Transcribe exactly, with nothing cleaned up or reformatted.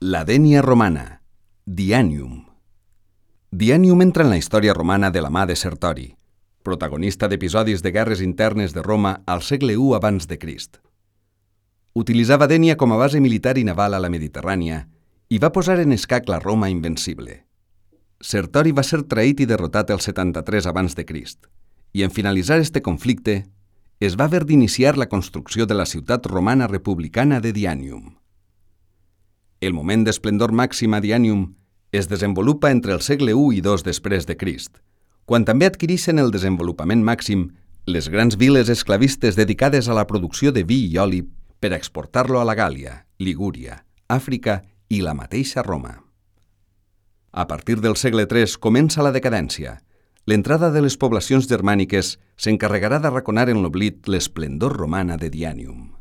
La Dénia romana, Dianium. Dianium entra en la història romana de la mà de Sertori, protagonista d'episodis de guerres internes de Roma al segle u abans de Crist. Utilitzava Dénia com a base militar i naval a la Mediterrània i va posar en escac la Roma invencible. Sertori va ser traït i derrotat el setanta-tres abans de Crist, i en finalitzar este conflicte es va haver d'iniciar la construcció de la ciutat romana republicana de Dianium. El moment d'esplendor màxim a Dianium es desenvolupa entre el segle u i dos després de Crist, quan també adquireixen el desenvolupament màxim les grans viles esclavistes dedicades a la producció de vi i oli per exportar-lo a la Gàlia, Ligúria, Àfrica i la mateixa Roma. A partir del segle tres comença la decadència. L'entrada de les poblacions germàniques s'encarregarà d'arraconar en l'oblit l'esplendor romana de Dianium.